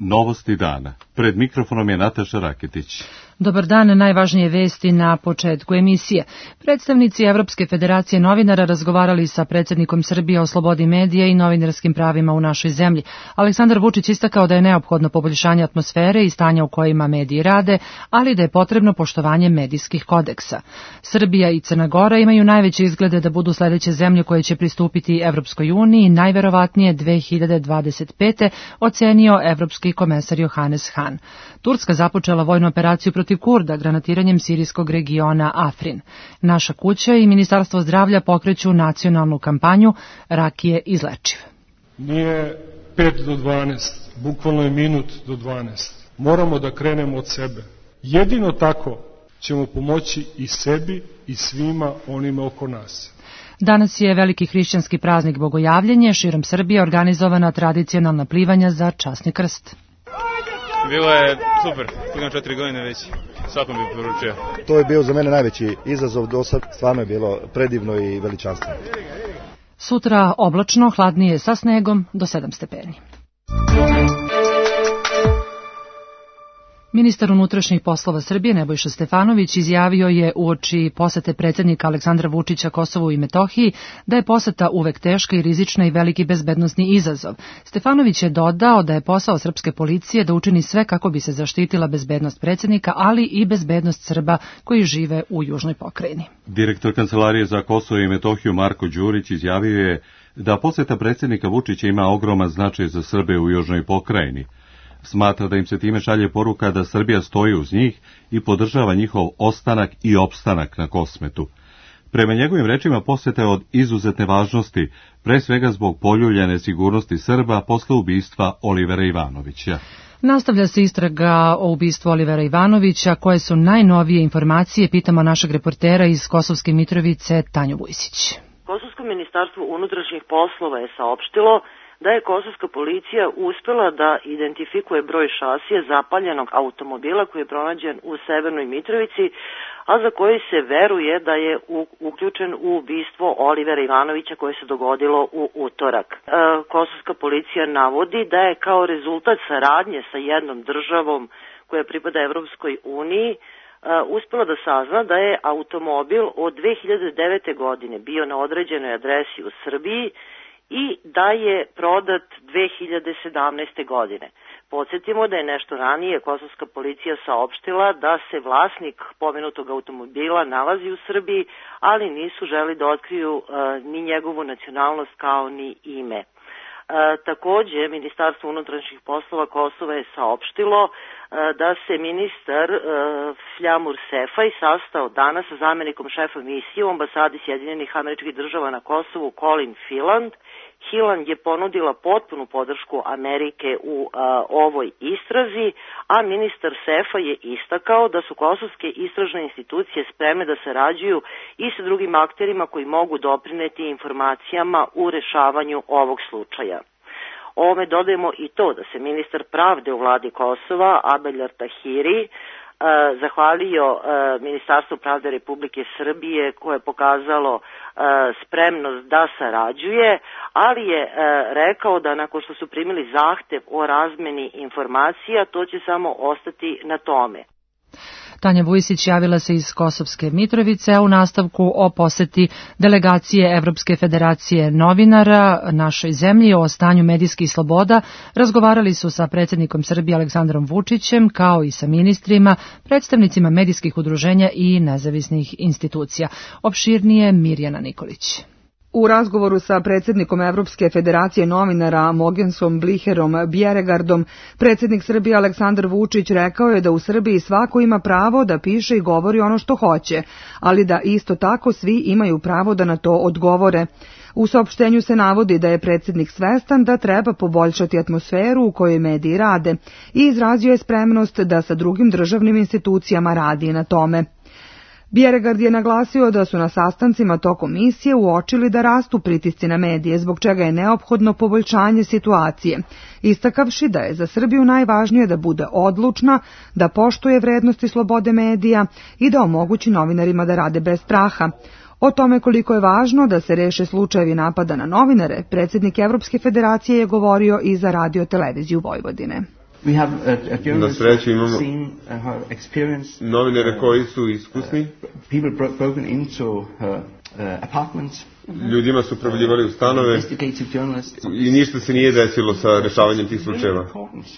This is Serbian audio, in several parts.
Novosti dana. Pred mikrofonom je Nataša Raketić. Dobar dan, najvažnije vesti na početku emisije. Predstavnici Evropske federacije novinara razgovarali sa predsjednikom Srbije o slobodi medija i novinarskim pravima u našoj zemlji. Aleksandar Vučić istakao da je neophodno poboljšanje atmosfere i stanja u kojima mediji rade, ali da je potrebno poštovanje medijskih kodeksa. Srbija i Crna Gora imaju najveće izglede da budu sledeće zemlje koje će pristupiti Evropskoj uniji, najverovatnije 2025. ocenio evropski komesar Johannes Hahn. Turska započela vojnu operaciju protiv Kurda granatiranjem sirijskog regiona Afrin. Naša kuća i Ministarstvo zdravlja pokreću nacionalnu kampanju Rak je izlečiv. Nije 5 do 12, bukvalno je minut do 12. Moramo da krenemo od sebe. Jedino tako ćemo pomoći i sebi i svima onima oko nas. Danas je veliki hrišćanski praznik Bogojavljenje, širom Srbije organizovana tradicionalna plivanja za časni krst. Bilo je super, imam 4 godine već, svakom bih poručio. To je bio za mene najveći izazov do sad, stvarno je bilo predivno i veličanstveno. Sutra oblačno, hladnije sa snegom do 7 stepeni. Ministar unutrašnjih poslova Srbije Nebojša Stefanović izjavio je uoči posete predsjednika Aleksandra Vučića Kosovu i Metohiji da je poseta uvek teška i rizična i veliki bezbednosni izazov. Stefanović je dodao da je posao srpske policije da učini sve kako bi se zaštitila bezbednost predsjednika, ali i bezbednost Srba koji žive u južnoj pokrajini. Direktor Kancelarije za Kosovo i Metohiju Marko Đurić izjavio je da poseta predsjednika Vučića ima ogroman značaj za Srbe u južnoj pokrajini. Smatra da im se time šalje poruka da Srbija stoji uz njih i podržava njihov ostanak i opstanak na Kosmetu. Prema njegovim rečima poseta je od izuzetne važnosti, pre svega zbog poljuljane sigurnosti Srba posle ubistva Olivera Ivanovića. Nastavlja se istraga o ubistvu Olivera Ivanovića. Koje su najnovije informacije, pitamo našeg reportera iz Kosovske Mitrovice Tanju Vujsić. Kosovsko ministarstvo unutrašnjih poslova je saopštilo da je kosovska policija uspela da identifikuje broj šasije zapaljenog automobila koji je pronađen u Severnoj Mitrovici, a za koji se veruje da je uključen u ubistvo Olivera Ivanovića koje se dogodilo u utorak. Kosovska policija navodi da je kao rezultat saradnje sa jednom državom koja pripada Evropskoj uniji uspela da sazna da je automobil od 2009. godine bio na određenoj adresi u Srbiji i da je prodat 2017. godine. Podsjetimo da je nešto ranije kosovska policija saopštila da se vlasnik pomenutog automobila nalazi u Srbiji, ali nisu želi da otkriju ni njegovu nacionalnost kao ni ime. Takođe, Ministarstvo unutrašnjih poslova Kosova je saopštilo da se ministar Fljamur Sefaj sastao danas sa zamenikom šefa misije u ambasadi Sjedinjenih Američkih Država na Kosovu Colin Filand. Hiland je ponudila potpunu podršku Amerike u ovoj istrazi, a ministar Sefa je istakao da su kosovske istražne institucije spremne da sarađuju i sa drugim akterima koji mogu doprineti informacijama u rešavanju ovog slučaja. Ovome dodajemo i to da se ministar pravde u vladi Kosova, Abeljar Tahiri, zahvalio Ministarstvu pravde Republike Srbije koje je pokazalo spremnost da sarađuje, ali je rekao da nakon što su primili zahtev o razmeni informacija, to će samo ostati na tome. Tanja Vujsić javila se iz Kosovske Mitrovice, a u nastavku o poseti delegacije Evropske federacije novinara našoj zemlji o stanju medijskih sloboda razgovarali su sa predsjednikom Srbije Aleksandrom Vučićem, kao i sa ministrima, predstavnicima medijskih udruženja i nezavisnih institucija. Opširnije Mirjana Nikolić. U razgovoru sa predsjednikom Evropske federacije novinara Mogensom Bliherom Bjeregardom, predsjednik Srbije Aleksandar Vučić rekao je da u Srbiji svako ima pravo da piše i govori ono što hoće, ali da isto tako svi imaju pravo da na to odgovore. U saopštenju se navodi da je predsjednik svestan da treba poboljšati atmosferu u kojoj mediji rade i izrazio je spremnost da sa drugim državnim institucijama radi na tome. Bjeregard je naglasio da su na sastancima tokom misije uočili da rastu pritisci na medije, zbog čega je neophodno poboljšanje situacije, istakavši da je za Srbiju najvažnije da bude odlučna, da poštuje vrednosti slobode medija i da omogući novinarima da rade bez straha. O tome koliko je važno da se reše slučajevi napada na novinare, predsjednik Evropske federacije je govorio i za Radio televiziju Vojvodine. Na sreću imamo novinare koji su iskusni. Ljudima su provaljivali u stanove i ništa se nije desilo sa rešavanjem tih slučajeva.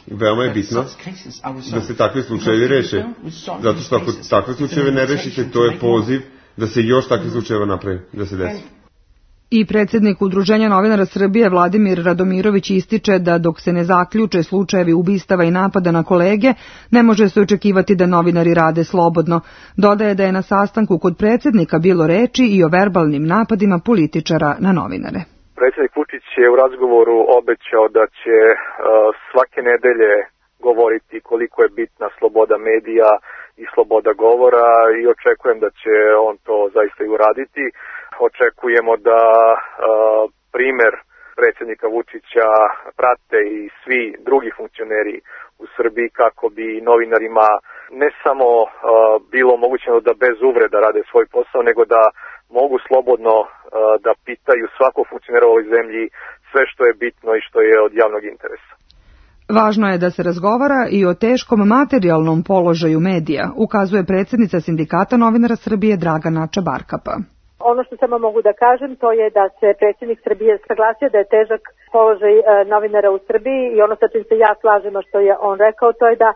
Veoma je bitno da se takve slučajevi reše, zato što ako takve slučajeve ne rešite, to je poziv da se još takve slučajeva napravi, da se desi. I predsjednik Udruženja novinara Srbije Vladimir Radomirović ističe da dok se ne zaključe slučajevi ubistava i napada na kolege, ne može se očekivati da novinari rade slobodno. Dodaje da je na sastanku kod predsjednika bilo reči i o verbalnim napadima političara na novinare. Predsjednik Vučić je u razgovoru obećao da će svake nedelje govoriti koliko je bitna sloboda medija i sloboda govora i očekujem da će on to zaista i uraditi. Očekujemo da primer predsjednika Vučića prate i svi drugi funkcioneri u Srbiji kako bi novinarima ne samo bilo omogućeno da bez uvreda rade svoj posao, nego da mogu slobodno da pitaju svakog funkcionera u ovoj zemlji sve što je bitno i što je od javnog interesa. Važno je da se razgovara i o teškom materijalnom položaju medija, ukazuje predsjednica Sindikata novinara Srbije Dragana Čabarkapa. Ono što samo mogu da kažem, to je da se predsjednik Srbije saglasio da je težak položaj novinara u Srbiji i ono sa čim se ja slažem, što je on rekao, to je da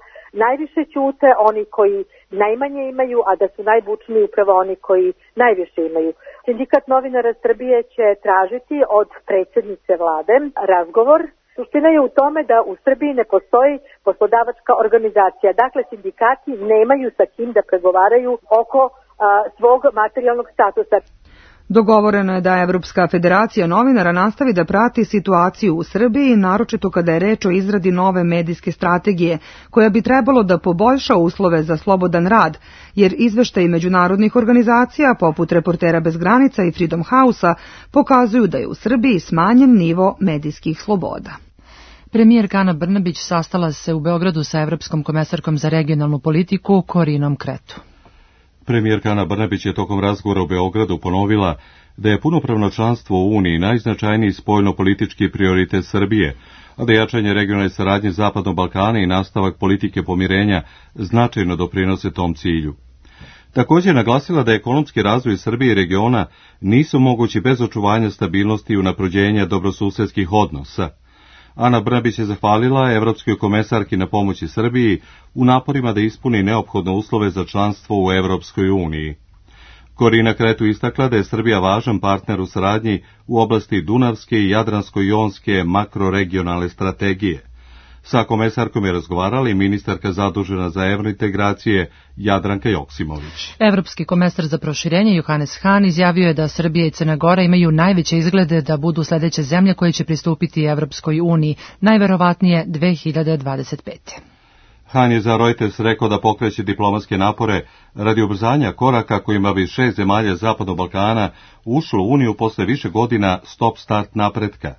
najviše ćute oni koji najmanje imaju, a da su najbučniji upravo oni koji najviše imaju. Sindikat novinara Srbije će tražiti od predsjednice vlade razgovor. Suština je u tome da u Srbiji ne postoji poslodavačka organizacija. Dakle, sindikati nemaju sa kim da pregovaraju oko svog materijalnog statusa. Dogovoreno je da Evropska federacija novinara nastavi da prati situaciju u Srbiji, naročito kada je reč o izradi nove medijske strategije, koja bi trebalo da poboljša uslove za slobodan rad, jer izveštaji međunarodnih organizacija, poput Reportera bez granica i Freedom House-a, pokazuju da je u Srbiji smanjen nivo medijskih sloboda. Premijerka Ana Brnabić sastala se u Beogradu sa Evropskom komesarkom za regionalnu politiku Korinom Kretu. Premijerka Ana Brnabić je tokom razgovora u Beogradu ponovila da je punopravno članstvo u Uniji najznačajniji spoljno-politički prioritet Srbije, a da jačanje regionalne saradnje Zapadnog Balkana i nastavak politike pomirenja značajno doprinose tom cilju. Također je naglasila da ekonomski razvoj Srbije i regiona nisu mogući bez očuvanja stabilnosti i unapređenja dobrosusedskih odnosa. Ana Brnabić je zahvalila evropskoj komesarki na pomoći Srbiji u naporima da ispuni neophodne uslove za članstvo u Evropskoj uniji. Korina Kretu istakla da je Srbija važan partner u saradnji u oblasti Dunavske i Jadransko-jonske makroregionalne strategije. Sa komesarkom je razgovarala i ministarka zadužena za evrointegracije Jadranka Joksimović. Evropski komesar za proširenje Johannes Hahn izjavio je da Srbija i Crna Gora imaju najveće izglede da budu sledeće zemlje koje će pristupiti Evropskoj uniji, najverovatnije 2025. Hahn je za Reuters rekao da pokreće diplomatske napore radi ubrzanja koraka kojima bi 6 zemalja Zapadnog Balkana ušlo u Uniju posle više godina stop-start napretka.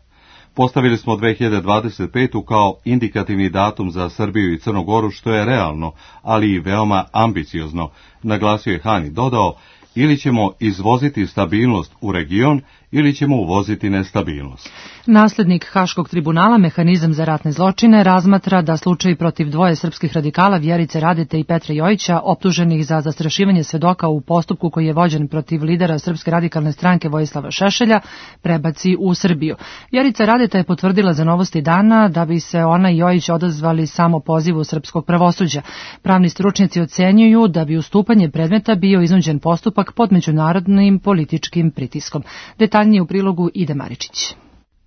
Postavili smo 2025. kao indikativni datum za Srbiju i Crnu Goru, što je realno, ali i veoma ambiciozno, naglasio je Hahn i dodao, ili ćemo izvoziti stabilnost u region, ili ćemo uvoziti nestabilnost. Naslednik Haškog tribunala, mehanizam za ratne zločine, razmatra da slučaj protiv dvoje srpskih radikala Vjerice Radete i Petra Jojića, optuženih za zastrašivanje svedoka u postupku koji je vođen protiv lidera Srpske radikalne stranke Vojislava Šešelja, prebaci u Srbiju. Vjerica Radeta je potvrdila za Novosti dana da bi se ona i Jojić odazvali samo pozivu srpskog pravosuđa. Pravni stručnjaci ocenjuju da bi ustupanje predmeta bio iznuđen postupak pod međunarodnim političkim pritiskom. Detaljnije u prilogu Ide Maričić.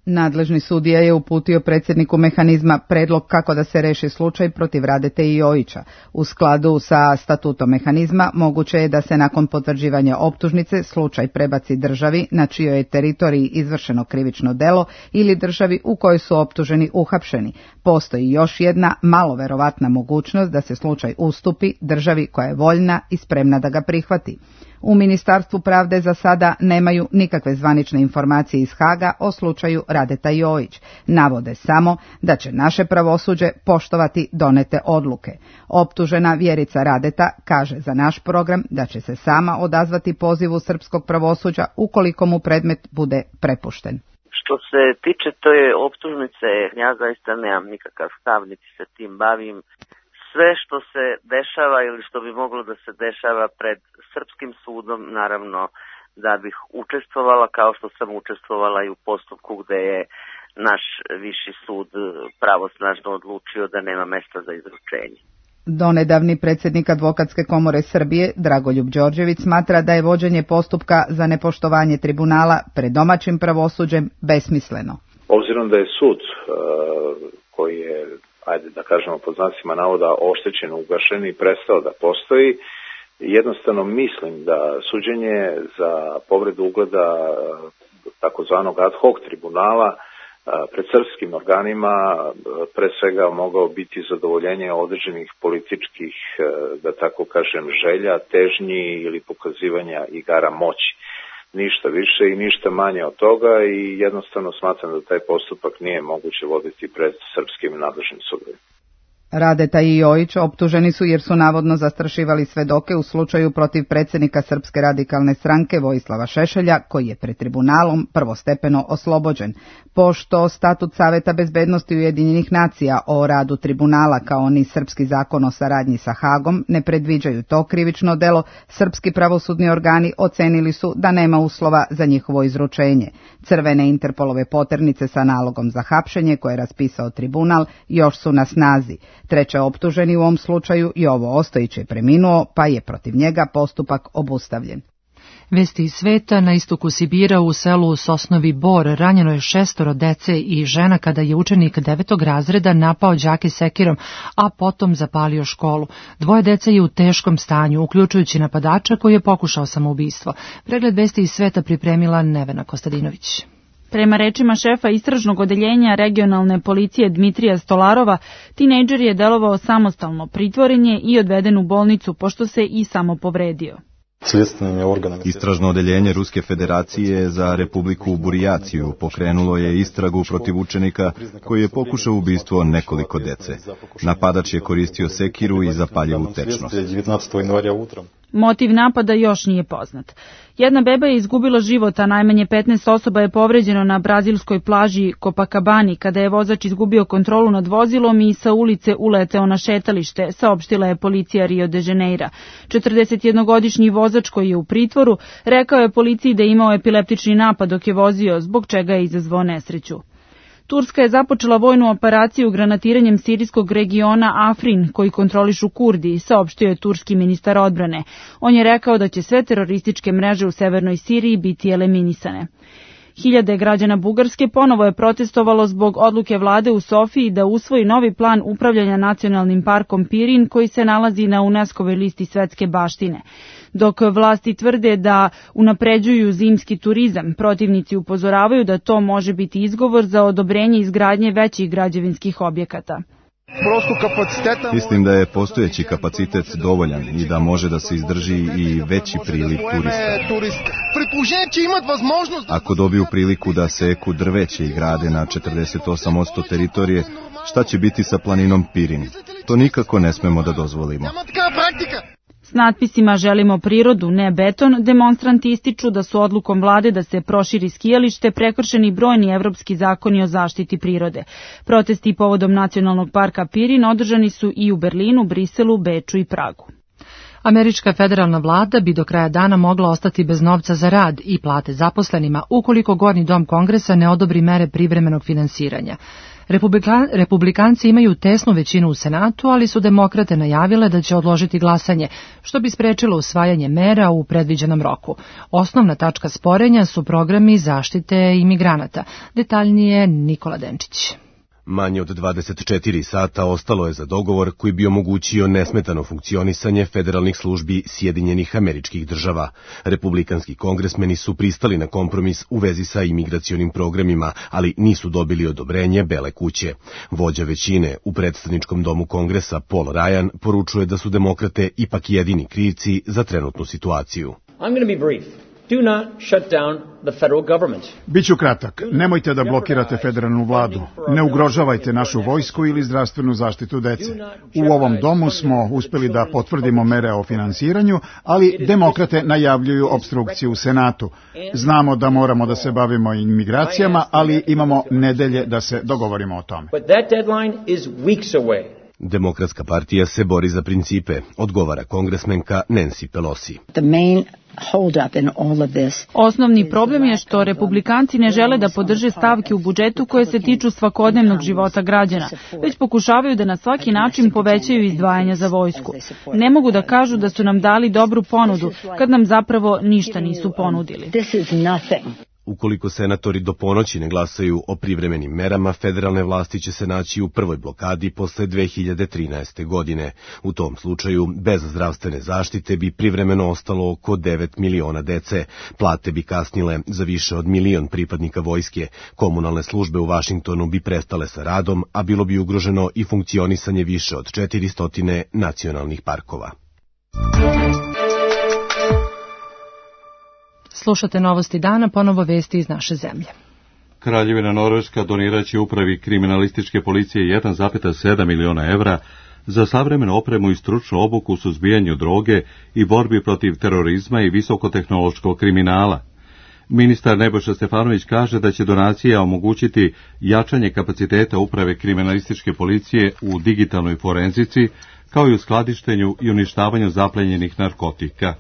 Nadležni sudija je uputio predsjedniku mehanizma predlog kako da se reši slučaj protiv Radete i Jojića. U skladu sa statutom mehanizma moguće je da se nakon potvrđivanja optužnice slučaj prebaci državi na čijoj je teritoriji izvršeno krivično delo ili državi u kojoj su optuženi uhapšeni. Postoji još jedna malo verovatna mogućnost da se slučaj ustupi državi koja je voljna i spremna da ga prihvati. U Ministarstvu pravde za sada nemaju nikakve zvanične informacije iz Haga o slučaju Radeta i Jojić. Navode samo da će naše pravosuđe poštovati donete odluke. Optužena Vjerica Radeta kaže za naš program da će se sama odazvati pozivu srpskog pravosuđa ukoliko mu predmet bude prepušten. Što se tiče toje optužnice, ja zaista nemam nikakav stav, niti se tim bavim. Sve što se dešava ili što bi moglo da se dešava pred srpskim sudom, naravno da bih učestvovala, kao što sam učestvovala i u postupku gde je naš viši sud pravosnažno odlučio da nema mesta za izručenje. Donedavni predsjednik Advokatske komore Srbije, Dragoljub Đorđević, smatra da je vođenje postupka za nepoštovanje tribunala pred domaćim pravosuđem besmisleno. Obzirom da je sud koji je, ajde da kažemo pod znacima navoda, oštećen, ugašen i prestao da postoji, jednostavno mislim da suđenje za povredu ugleda takozvanog ad hoc tribunala pred srpskim organima pre svega mogao biti zadovoljenje određenih političkih, da tako kažem, želja, težnji ili pokazivanja igara moći. Ništa više i ništa manje od toga i jednostavno smatram da taj postupak nije moguće voditi pred srpskim nadležnim sudovima. Radeta i Jojić optuženi su jer su navodno zastrašivali svedoke u slučaju protiv predsjednika Srpske radikalne stranke Vojislava Šešelja, koji je pred tribunalom prvostepeno oslobođen. Pošto statut Saveta bezbednosti Ujedinjenih nacija o radu tribunala kao ni srpski zakon o saradnji sa Hagom ne predviđaju to krivično delo, srpski pravosudni organi ocenili su da nema uslova za njihovo izručenje. Crvene Interpolove poternice sa nalogom za hapšenje koje je raspisao tribunal još su na snazi. Treće optuženi u ovom slučaju Jovo Ostojić je preminuo, pa je protiv njega postupak obustavljen. Vesti iz sveta, na istoku Sibira u selu Sosnovi Bor ranjeno je 6 dece i žena kada je učenik 9. razreda napao đake sekirom, a potom zapalio školu. 2 dece je u teškom stanju, uključujući napadača koji je pokušao samoubistvo. Pregled vesti iz sveta pripremila Nevena Kostadinović. Prema rečima šefa istražnog odeljenja regionalne policije Dmitrija Stolarova, tinejdžer je delovao samostalno, pritvoren je i odveden u bolnicu pošto se i samo povredio. Istražno odeljenje Ruske federacije za Republiku Burijaciju pokrenulo je istragu protiv učenika koji je pokušao ubistvo nekoliko dece. Napadač je koristio sekiru i zapaljivu tečnost. Motiv napada još nije poznat. Jedna beba je izgubila život, a najmanje 15 osoba je povređeno na brazilskoj plaži Copacabani kada je vozač izgubio kontrolu nad vozilom i sa ulice uleteo na šetalište, saopštila je policija Rio de Janeira. 41-godišnji vozač koji je u pritvoru rekao je policiji da je imao epileptični napad dok je vozio, zbog čega je izazvao nesreću. Turska je započela vojnu operaciju granatiranjem sirijskog regiona Afrin, koji kontrolišu Kurdi, saopštio je turski ministar odbrane. On je rekao da će sve terorističke mreže u severnoj Siriji biti eliminisane. Hiljade građana Bugarske ponovo je protestovalo zbog odluke vlade u Sofiji da usvoji novi plan upravljanja nacionalnim parkom Pirin koji se nalazi na UNESCO-voj listi svetske baštine. Dok vlasti tvrde da unapređuju zimski turizam, protivnici upozoravaju da to može biti izgovor za odobrenje izgradnje većih građevinskih objekata. Mislim da je postojeći kapacitet dovoljan i da može da se izdrži i veći priliv turista. Ako dobiju priliku da seku drveće i grade na 48% teritorije, šta će biti sa planinom Pirin? To nikako ne smemo da dozvolimo. S natpisima "Želimo prirodu, ne beton", demonstranti ističu da su odlukom vlade da se proširi skijalište prekršeni brojni evropski zakoni o zaštiti prirode. Protesti povodom nacionalnog parka Pirin održani su i u Berlinu, Briselu, Beču i Pragu. Američka federalna vlada bi do kraja dana mogla ostati bez novca za rad i plate zaposlenima ukoliko Gornji dom Kongresa ne odobri mere privremenog finansiranja. Republikanci imaju tesnu većinu u Senatu, ali su demokrate najavile da će odložiti glasanje, što bi sprečilo usvajanje mera u predviđenom roku. Osnovna tačka sporenja su programi zaštite imigranata. Detaljnije Nikola Denčić. Manje od 24 sata ostalo je za dogovor koji bi omogućio nesmetano funkcionisanje federalnih službi Sjedinjenih Američkih Država. Republikanski kongresmeni su pristali na kompromis u vezi sa imigracionim programima, ali nisu dobili odobrenje Bele kuće. Vođa većine u predstavničkom domu Kongresa Paul Ryan poručuje da su demokrate ipak jedini krivci za trenutnu situaciju. Do not shut down the federal government. Biću kratak. Nemojte da blokirate federalnu vladu. Ne ugrožavajte našu vojsku ili zdravstvenu zaštitu dece. U ovom domu smo uspeli da potvrdimo mere o finansiranju, ali demokrate najavljuju opstrukciju u Senatu. Znamo da moramo da se bavimo imigracijama, ali imamo nedelje da se dogovorimo o tome. But that deadline is weeks away. Demokratska partija se bori za principe, odgovara kongresmenka Nancy Pelosi. Osnovni problem je što republikanci ne žele da podrže stavke u budžetu koje se tiču svakodnevnog života građana, već pokušavaju da na svaki način povećaju izdvajanja za vojsku. Ne mogu da kažu da su nam dali dobru ponudu, kad nam zapravo ništa nisu ponudili. Ukoliko senatori do ponoći ne glasaju o privremenim merama, federalne vlasti će se naći u prvoj blokadi posle 2013. godine. U tom slučaju, bez zdravstvene zaštite bi privremeno ostalo oko 9 miliona dece. Plate bi kasnile za više od 1 milion pripadnika vojske. Komunalne službe u Vašingtonu bi prestale sa radom, a bilo bi ugroženo i funkcionisanje više od 400 nacionalnih parkova. Slušate Novosti dana, ponovo vesti iz naše zemlje. Kraljevina Norveška doniraće upravi kriminalističke policije 1,7 miliona evra za savremenu opremu i stručnu obuku u suzbijanju droge i borbi protiv terorizma i visokotehnološkog kriminala. Ministar Nebojša Stefanović kaže da će donacija omogućiti jačanje kapaciteta uprave kriminalističke policije u digitalnoj forenzici, kao i u skladištenju i uništavanju zaplenjenih narkotika.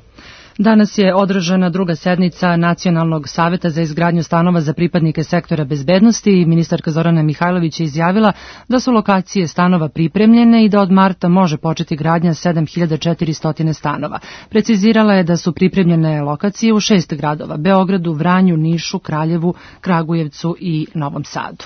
Danas je održana druga sednica Nacionalnog saveta za izgradnju stanova za pripadnike sektora bezbednosti i ministarka Zorana Mihajlović je izjavila da su lokacije stanova pripremljene i da od marta može početi gradnja 7400 stanova. Precizirala je da su pripremljene lokacije u 6 gradova: Beogradu, Vranju, Nišu, Kraljevu, Kragujevcu i Novom Sadu.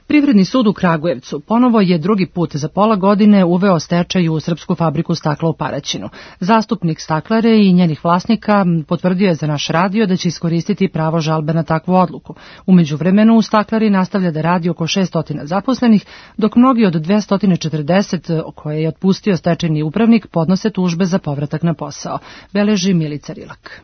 Privredni sud u Kragujevcu ponovo je drugi put za pola godine uveo stečaj u srpsku fabriku stakla u Paraćinu. Zastupnik staklare i njenih vlasnika potvrdio je za naš radio da će iskoristiti pravo žalbe na takvu odluku. U međuvremenu u staklari nastavlja da radi oko 600 zaposlenih, dok mnogi od 240 koje je otpustio stečajni upravnik podnose tužbe za povratak na posao. Beleži Milica Rilak.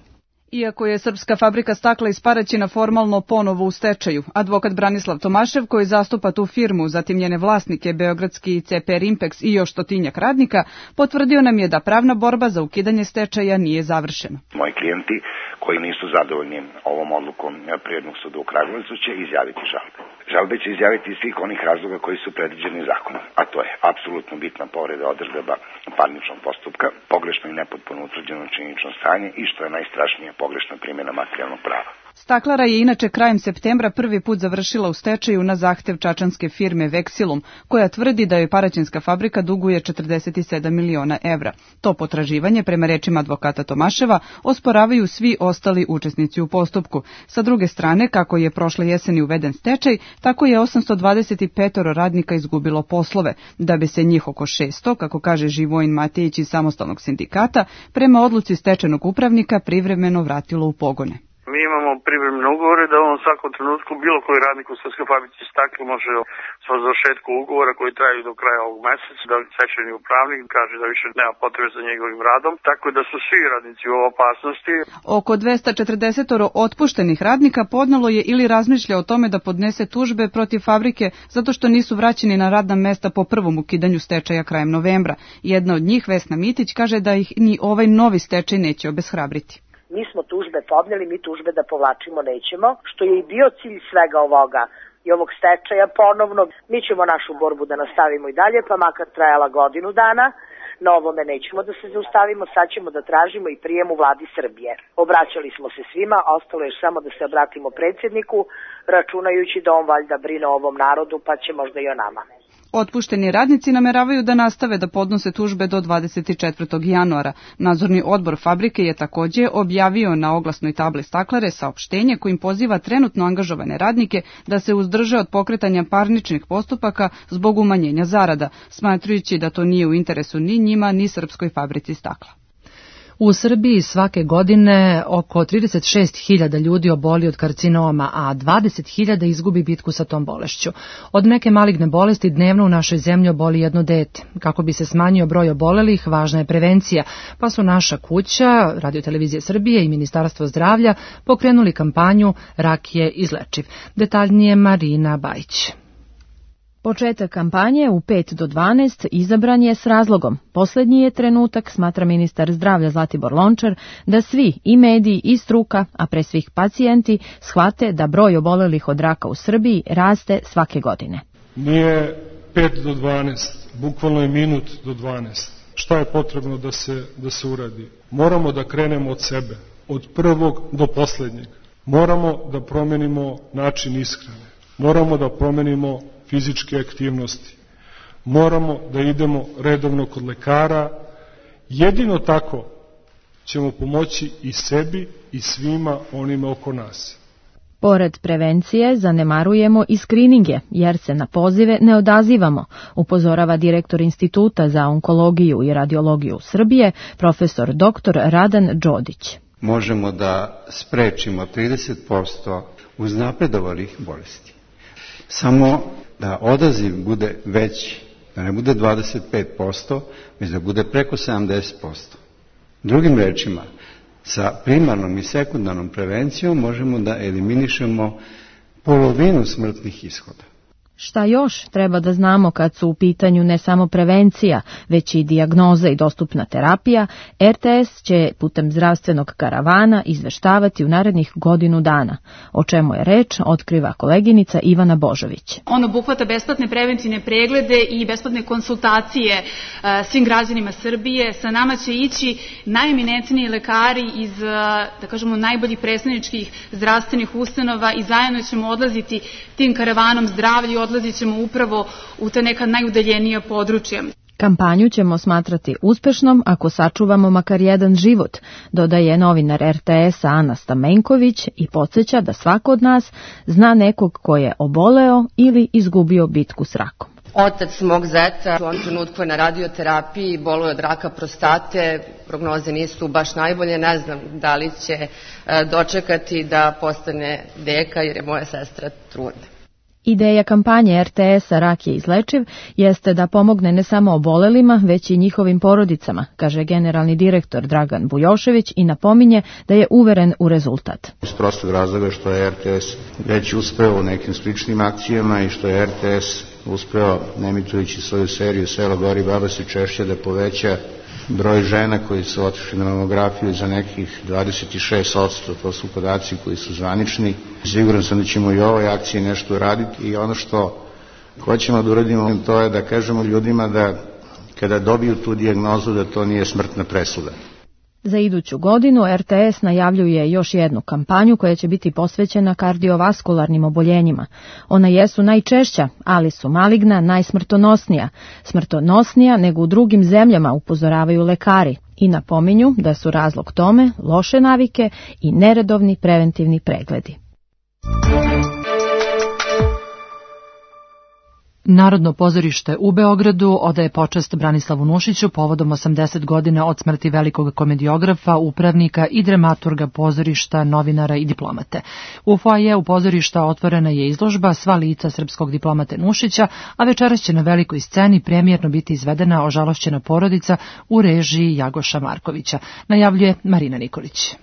Iako je srpska fabrika stakla iz Paraćina formalno ponovo u stečaju, advokat Branislav Tomašev, koji zastupa tu firmu, zatim njene vlasnike, beogradski CP Rimpex i još 100 radnika, potvrdio nam je da pravna borba za ukidanje stečaja nije završena. Moji klijenti koji nisu zadovoljni ovom odlukom Privrednog suda u Kragujevcu će izjaviti žalbe. Žalbe će izjaviti iz svih onih razloga koji su predviđeni zakonom, a to je apsolutno bitna povreda odredaba parničnog postupka, pogrešno i nepotpuno utvrđeno činjenično stanje i, što je najstrašnije, pogrešna primjena materijalnog prava. Staklara je inače krajem septembra prvi put završila u stečaju na zahtev čačanske firme Vexilum, koja tvrdi da joj paraćinska fabrika duguje 47 miliona evra. To potraživanje, prema rečima advokata Tomaševa, osporavaju svi ostali učesnici u postupku. Sa druge strane, kako je prošle jeseni uveden stečaj, tako je 825 radnika izgubilo poslove, da bi se njih oko 600, kako kaže Živojin Matejić iz samostalnog sindikata, prema odluci stečajnog upravnika privremeno vratilo u pogone. Mi imamo privremene ugovore da on u svakom trenutku bilo koji radnik u srpskoj fabrici stakla može sa završetkom ugovora koji traju do kraja ovog meseca, da stečajni upravnik kaže da više nema potrebe za njegovim radom, tako da su svi radnici u opasnosti. Oko 240 otpuštenih radnika podnelo je ili razmišlja o tome da podnese tužbe protiv fabrike zato što nisu vraćeni na radna mesta po prvom ukidanju stečaja krajem novembra. Jedna od njih, Vesna Mitić, kaže da ih ni ovaj novi stečaj neće obeshrabriti. Mi smo tužbe podneli, mi tužbe da povlačimo nećemo, što je i bio cilj svega ovoga i ovog stečaja ponovno. Mi ćemo našu borbu da nastavimo i dalje, pa makar trajala godinu dana. Na ovome nećemo da se zaustavimo, sad ćemo da tražimo i prijem u vladi Srbije. Obraćali smo se svima, ostalo je samo da se obratimo predsjedniku, računajući da on valjda brine o ovom narodu, pa će možda i o nama. Otpušteni radnici nameravaju da nastave da podnose tužbe do 24. januara. Nadzorni odbor fabrike je također objavio na oglasnoj tabli staklare saopštenje kojim poziva trenutno angažovane radnike da se uzdrže od pokretanja parničnih postupaka zbog umanjenja zarada, smatrajući da to nije u interesu ni njima ni srpskoj fabrici stakla. U Srbiji svake godine oko 36.000 ljudi oboli od karcinoma, a 20.000 izgubi bitku sa tom bolešću. Od neke maligne bolesti dnevno u našoj zemlji oboli jedno dete. Kako bi se smanjio broj obolelih, važna je prevencija, pa su Naša kuća, Radio-televizija Srbije i Ministarstvo zdravlja pokrenuli kampanju Rak je izlečiv. Detaljnije Marina Bajić. Početak kampanje u 5 do 12 izabran je s razlogom. Posljednji je trenutak, smatra ministar zdravlja Zlatibor Lončar, da svi, i mediji i struka, a pre svih pacijenti, shvate da broj obolelih od raka u Srbiji raste svake godine. Nije 5 do 12, bukvalno je minut do 12. Šta je potrebno da se uradi? Moramo da krenemo od sebe, od prvog do posljednjeg. Moramo da promenimo način ishrane. Moramo da promenimo fizičke aktivnosti. Moramo da idemo redovno kod lekara. Jedino tako ćemo pomoći i sebi i svima onima oko nas. Pored prevencije zanemarujemo i skrininge, jer se na pozive ne odazivamo, upozorava direktor Instituta za onkologiju i radiologiju Srbije, profesor dr. Radan Đodić. Možemo da sprečimo 30% uznapredovalih bolesti. Samo da odaziv bude veći, da ne bude 25%, već da bude preko 70%. Drugim rečima, sa primarnom i sekundarnom prevencijom možemo da eliminišemo polovinu smrtnih ishoda. Šta još treba da znamo kad su u pitanju ne samo prevencija, već i dijagnoza i dostupna terapija, RTS će putem zdravstvenog karavana izveštavati u narednih godinu dana. O čemu je reč, otkriva koleginica Ivana Božović. On obuhvata besplatne preventivne preglede i besplatne konsultacije svim građanima Srbije. Sa nama će ići najeminentniji lekari iz, da kažemo, najboljih predstavničkih zdravstvenih ustanova i zajedno ćemo odlaziti tim karavanom zdravlja, odlazit ćemo upravo u te neka najudaljenija područja. Kampanju ćemo smatrati uspešnom ako sačuvamo makar jedan život, dodaje novinar RTS-a Ana Stamenković i podsjeća da svako od nas zna nekog ko je oboleo ili izgubio bitku s rakom. Otac mog zeta u ovom trenutku je na radioterapiji, boluje od raka prostate, prognoze nisu baš najbolje, ne znam da li će dočekati da postane deka jer je moja sestra trudna. Ideja kampanje RTS-a Rak je izlečiv jeste da pomogne ne samo obolelima, već i njihovim porodicama, kaže generalni direktor Dragan Bujošević i napominje da je uveren u rezultat. Iz prostog razloga što je RTS već uspeo u nekim sličnim akcijama i što je RTS uspeo, nemitujući svoju seriju Selo gori, baba se češće, da poveća broj žena koji su otišli na mamografiju za nekih 26%, to su podaci koji su zvanični. Siguran sam da ćemo i u ovoj akciji nešto raditi i ono što hoćemo da uradimo to je da kažemo ljudima da kada dobiju tu dijagnozu da to nije smrtna presuda. Za iduću godinu RTS najavljuje još jednu kampanju koja će biti posvećena kardiovaskularnim oboljenjima. Ona jesu najčešća, ali su maligna najsmrtonosnija. Smrtonosnija nego u drugim zemljama, upozoravaju lekari i napominju da su razlog tome loše navike i neredovni preventivni pregledi. Narodno pozorište u Beogradu odaje počast Branislavu Nušiću povodom 80 godina od smrti velikog komediografa, upravnika i dramaturga pozorišta, novinara i diplomate. U foajeu pozorišta otvorena je izložba Sva lica srpskog diplomate Nušića, a večeras će na velikoj sceni premijerno biti izvedena Ožalošćena porodica u režiji Jagoša Markovića, najavljuje Marina Nikolić.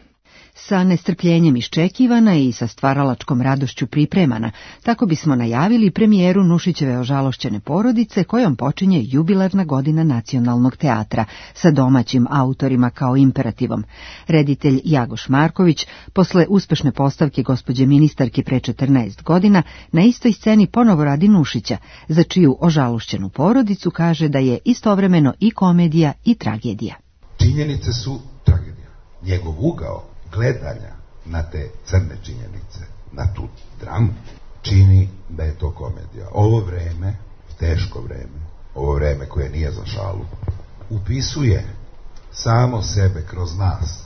Sa nestrpljenjem iščekivana i sa stvaralačkom radošću pripremana, tako bismo najavili premijeru Nušićeve Ožalošćene porodice kojom počinje jubilarna godina Nacionalnog teatra sa domaćim autorima kao imperativom. Reditelj Jagoš Marković, posle uspešne postavke gospođe ministarke pre 14 godina, na istoj sceni ponovo radi Nušića, za čiju Ožalošćenu porodicu kaže da je istovremeno i komedija i tragedija. Činjenice su tragedija. Njegov ugao gledanja na te crne činjenice, na tu dramu, čini da je to komedija. Ovo vreme, teško vreme, ovo vreme koje nije za šalu, upisuje samo sebe kroz nas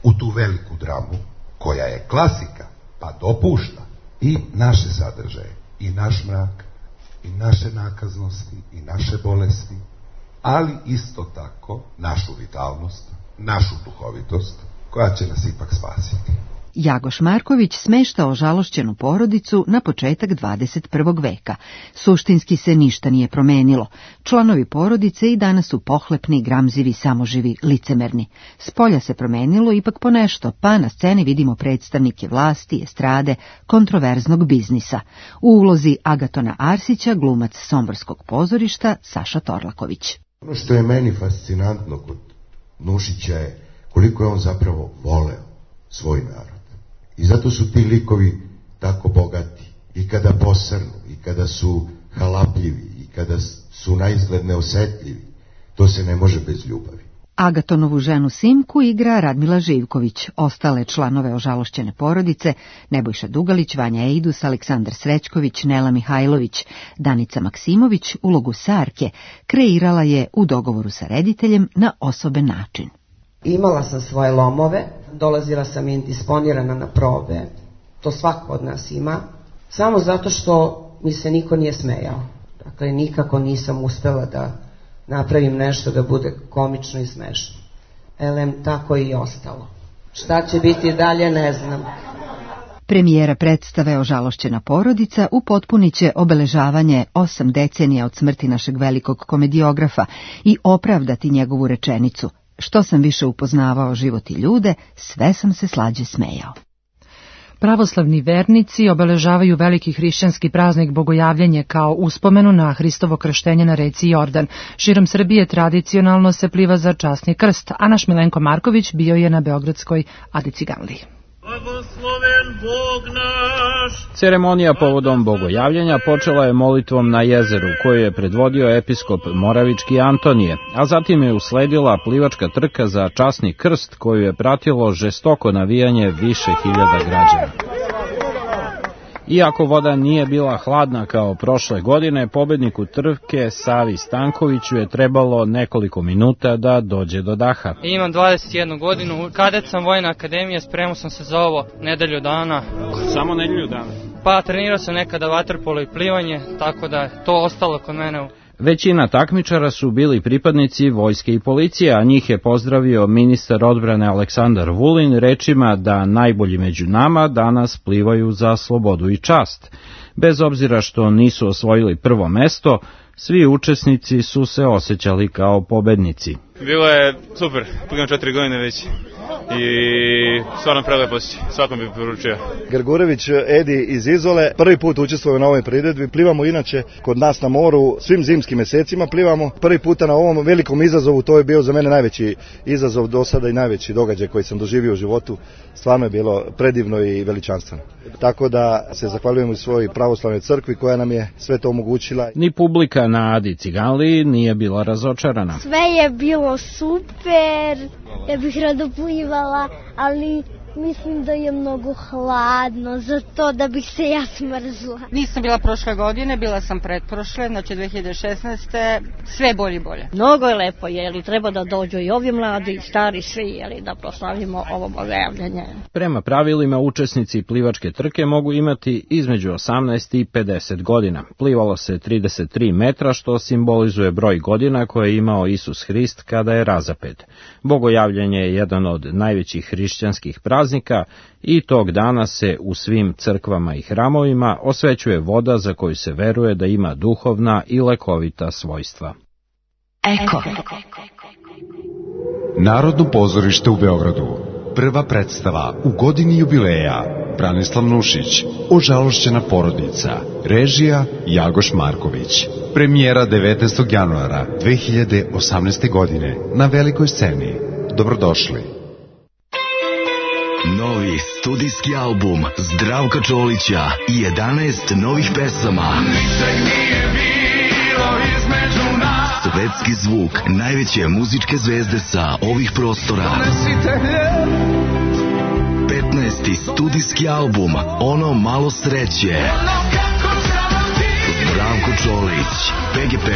u tu veliku dramu, koja je klasika, pa dopušta i naše sadržaje, i naš mrak, i naše nakaznosti, i naše bolesti, ali isto tako našu vitalnost, našu duhovitost, koja će nas ipak spasiti. Jagoš Marković smešta ožalošćenu porodicu na početak 21. veka. Suštinski se ništa nije promenilo. Članovi porodice i danas su pohlepni, gramzivi, samoživi, licemerni. Spolja se promenilo ipak ponešto, pa na sceni vidimo predstavnike vlasti, estrade, kontroverznog biznisa. U ulozi Agatona Arsića glumac Somborskog pozorišta Saša Torlaković. Ono što je meni fascinantno kod Nušića je koliko je on zapravo voleo svoj narod. I zato su ti likovi tako bogati. I kada posrnu, i kada su halapljivi, i kada su naizgled neosetljivi, to se ne može bez ljubavi. Agatonovu ženu Simku igra Radmila Živković, ostale članove ožalošćene porodice Nebojša Dugalić, Vanja Ejdus, Aleksandar Srećković, Nela Mihajlović, Danica Maksimović ulogu Sarke kreirala je u dogovoru sa rediteljem na osoben način. Imala sam svoje lomove, dolazila sam indisponirana na probe, to svako od nas ima, samo zato što mi se niko nije smejao. Dakle, nikako nisam uspela da napravim nešto da bude komično i smešno. Elem, tako i ostalo. Šta će biti dalje, ne znam. Premijera predstave Ožalošćena porodica upotpunit će obeležavanje 8 decenija od smrti našeg velikog komediografa i opravdati njegovu rečenicu: što sam više upoznavao život i ljude, sve sam se slađe smejao. Pravoslavni vernici obeležavaju veliki hrišćanski praznik Bogojavljenje kao uspomenu na Hristovo krštenje na reci Jordan. Širom Srbije tradicionalno se pliva za časni krst, a naš Milenko Marković bio je na beogradskoj Adi Ciganliji. Ceremonija povodom Bogojavljenja počela je molitvom na jezeru, koju je predvodio episkop Moravički Antonije, a zatim je usledila plivačka trka za časni krst, koju je pratilo žestoko navijanje više hiljada građana. Iako voda nije bila hladna kao prošle godine, pobedniku trke Savi Stankoviću je trebalo nekoliko minuta da dođe do daha. Imam 21 godinu, kadet sam Vojne akademije, spremao sam se za ovo nedelju dana. Samo nedelju dana? Pa trenirao sam nekada vaterpolo i plivanje, tako da je to ostalo kod mene. Većina takmičara su bili pripadnici vojske i policije, a njih je pozdravio ministar odbrane Aleksandar Vulin rečima da najbolji među nama danas plivaju za slobodu i čast. Bez obzira što nisu osvojili prvo mesto, svi učesnici su se osjećali kao pobednici. Bilo je super, plivam 4 godine već i stvarno prelepo si, svakom bi poručio. Grgurević Edi iz Izole, prvi put učestvujemo na ovoj priredbi, plivamo inače kod nas na moru, svim zimskim mesecima plivamo, prvi puta na ovom velikom izazovu, to je bio za mene najveći izazov do sada i najveći događaj koji sam doživio u životu, stvarno je bilo predivno i veličanstveno. Tako da se zahvaljujemo i svojoj pravoslavnoj crkvi koja nam je sve to omogućila. Ni publika na Adi Ciganliji nije bila razočarana. Sve je bilo super, ja bih rado plivala, ali mislim da je mnogo hladno, zato da bih se ja smrzla. Nisam bila prošle godine, bila sam pretprošle, znači 2016. Sve bolje i bolje. Mnogo je lepo, jeli treba da dođu i ovi mladi i stari svi, jeli da proslavimo ovo bogojavljanje. Prema pravilima, učesnici plivačke trke mogu imati između 18 i 50 godina. Plivalo se 33 metra, što simbolizuje broj godina koje je imao Isus Hrist kada je razapet. Bogojavljanje je jedan od najvećih hrišćanskih praznika i tog dana se u svim crkvama i hramovima osvećuje voda za koju se veruje da ima duhovna i lekovita svojstva. Eko. Narodno pozorište u Beogradu. Prva predstava u godini jubileja. Branislav Nušić, Ožalošćena porodica. Režija Jagoš Marković. Premijera 19. januara 2018. godine na velikoj sceni. Dobrodošli. Novi studijski album Zdravka Čolića i 11 novih pesama. Svetski zvuk najveće muzičke zvezde sa ovih prostora. 15. studijski album Ono malo sreće. Zdravko Čolić, PGP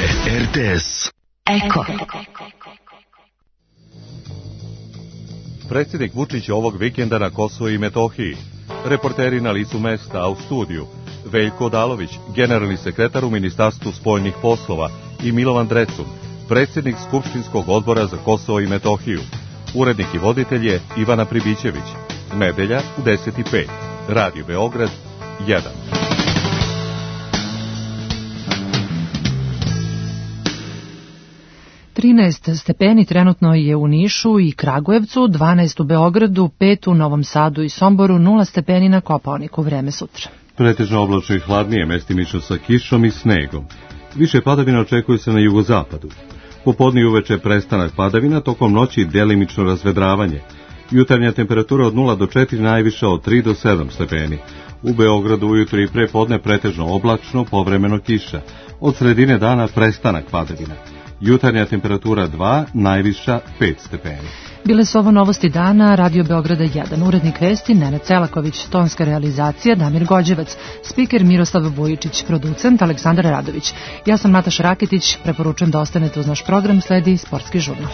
RTS. Eko. Predsjednik Vučić ovog vikenda na Kosovo i Metohiji. Reporteri na licu mesta, a u studiju Veljko Odalović, generalni sekretar u Ministarstvu spoljnih poslova, i Milovan Drecun, predsjednik Skupštinskog odbora za Kosovo i Metohiju. Urednik i voditelj je Ivana Pribićević. Nedelja u 10:05. Radio Beograd 1. Stepeni trenutno je u Nišu i Kragujevcu, 12 u Beogradu, 5 u Novom Sadu i Somboru, 0 stepeni na Kopaoniku. Vreme sutra. Pretežno oblačno i hladnije, mestimično sa kišom i snegom. Više padavina očekuje se na jugozapadu. Popodne i uveče prestanak padavina, tokom noći delimično razvedravanje. Jutarnja temperatura od 0 do 4, najviša od 3 do 7 stepeni. U Beogradu ujutro i prepodne pretežno oblačno, povremeno kiša. Od sredine dana prestanak padavina. Jutarnja temperatura 2, najviša 5 stepeni. Bile su ovo novosti dana, Radio Beograda 1, urednik vesti Nenad Celaković, tonska realizacija Damir Gođevac, spiker Miroslav Vujičić, producent Aleksandar Radović. Ja sam Nataša Raketić, preporučujem da ostanete uz naš program, sledi Sportski žurnal.